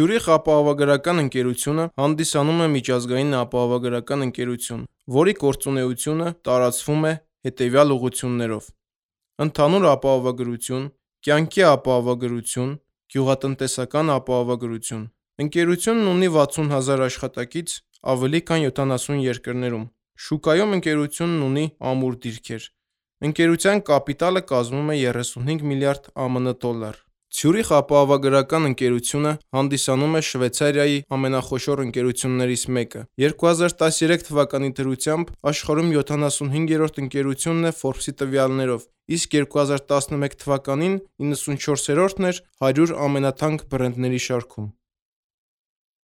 Ցյուրիխ ապահովագրական ընկերությունը հանդիսանում է միջազգային ապահովագրական ընկերություն, որի գործունեությունը տարածվում է հետևյալ ուղղություններով. ընդհանուր ապահովագրություն, կյանքի ապահովագրություն, գյուղատնտեսական ապահովագրություն։ Ընկերությունն ունի 60,000 աշխատակից ավելի քան 70 երկրներում։ Շուկայում ընկերությունն ունի ամուր դիրքեր։ Ընկերության կապիտալը կազմում է 35 միլիարդ ԱՄՆ դոլար։ Ցյուրիխ ապահովագրական ընկերությունը հանդիսանում է Շվեյցարիայի ամենախոշոր ընկերություններից մեկը։ 2013 թվականի դրությամբ աշխարհում 75-րդ ընկերությունն է Forbes-ի տվյալներով, իսկ 2011 թվականին 94-րդն էր 100 ամենաթանկ բրենդների շարքում։